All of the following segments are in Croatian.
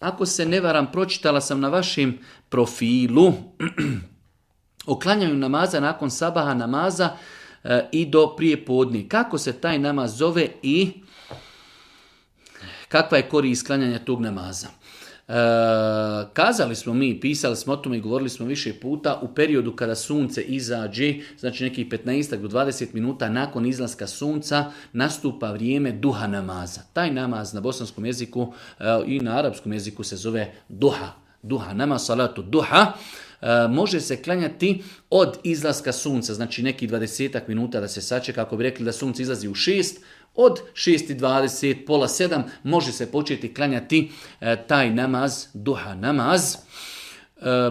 ako se ne varam, pročitala sam na vašem profilu o klanjanju namaza nakon sabaha namaza i do prije podne. Kako se taj namaz zove i kakva je korist klanjanja tog namaza? Kazali smo mi, pisali smo o tome i govorili smo više puta, u periodu kada sunce izađe, znači nekih 15 do 20 minuta nakon izlaska sunca, nastupa vrijeme duha namaza. Taj namaz na bosanskom jeziku i na arapskom jeziku se zove duha. Duha, namaz salatu duha. Može se klanjati od izlaska sunca, znači nekih 20 minuta da se sačeka, kako bi rekli da sunce izlazi u 6, od 6:20, pola 7 može se početi klanjati taj namaz, duha namaz.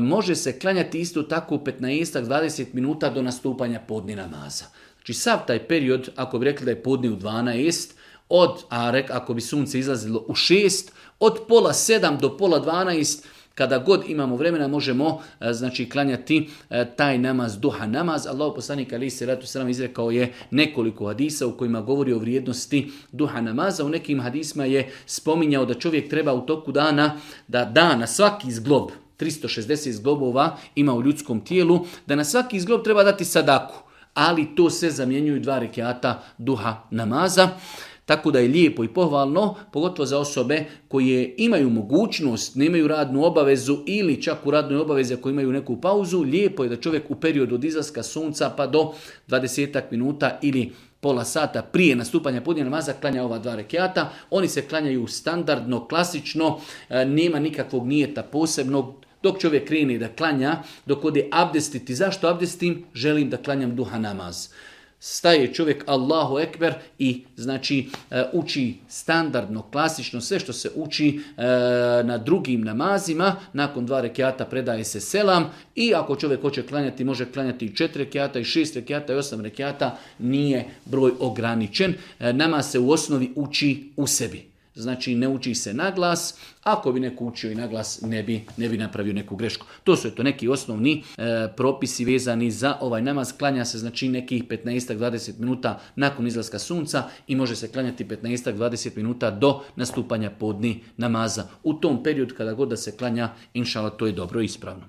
Može se klanjati isto tako 15-20 minuta do nastupanja podne namaza. Znači sav taj period, ako bi rekli da je podne u 12, ako bi sunce izlazilo u 6, od pola 7 do pola 12, kada god imamo vremena možemo znači klanjati taj namaz, duha namaz. Allahu poslanik alejhi selatu selam izrekao je nekoliko hadisa u kojima govori o vrijednosti duha namaza. U nekim hadisima je spominjao da čovjek treba u toku dana, da na svaki zglob, 360 zglobova ima u ljudskom tijelu, da na svaki zglob treba dati sadaku, ali to se zamjenjuju 2 rekjata duha namaza. Tako da je lijepo i pohvalno, pogotovo za osobe koje imaju mogućnost, nemaju radnu obavezu ili čak u radnoj obavezi ako imaju neku pauzu, lijepo je da čovjek u periodu od izlaska sunca pa do 20 minuta ili pola sata prije nastupanja podne namaza klanja ova 2 rekjata. Oni se klanjaju standardno, klasično, nema nikakvog nijeta posebnog. Dok čovjek krene da klanja, dok ode abdestiti. Zašto abdestim? Želim da klanjam duha namaz. Staje čovjek Allahu Ekber i znači uči standardno, klasično sve što se uči na drugim namazima. Nakon 2 rekjata predaje se selam i ako čovjek hoće klanjati, može klanjati i 4 rekjata i 6 rekjata i 8 rekjata, nije broj ograničen. Namaz se u osnovi uči u sebi. Znači ne uči se na glas, ako bi neko učio i na glas ne bi napravio neku grešku. To su neki osnovni propisi vezani za ovaj namaz. Klanja se znači nekih 15-20 minuta nakon izlaska sunca i može se klanjati 15-20 minuta do nastupanja podne namaza. U tom periodu kada god da se klanja, inšala, to je dobro i ispravno.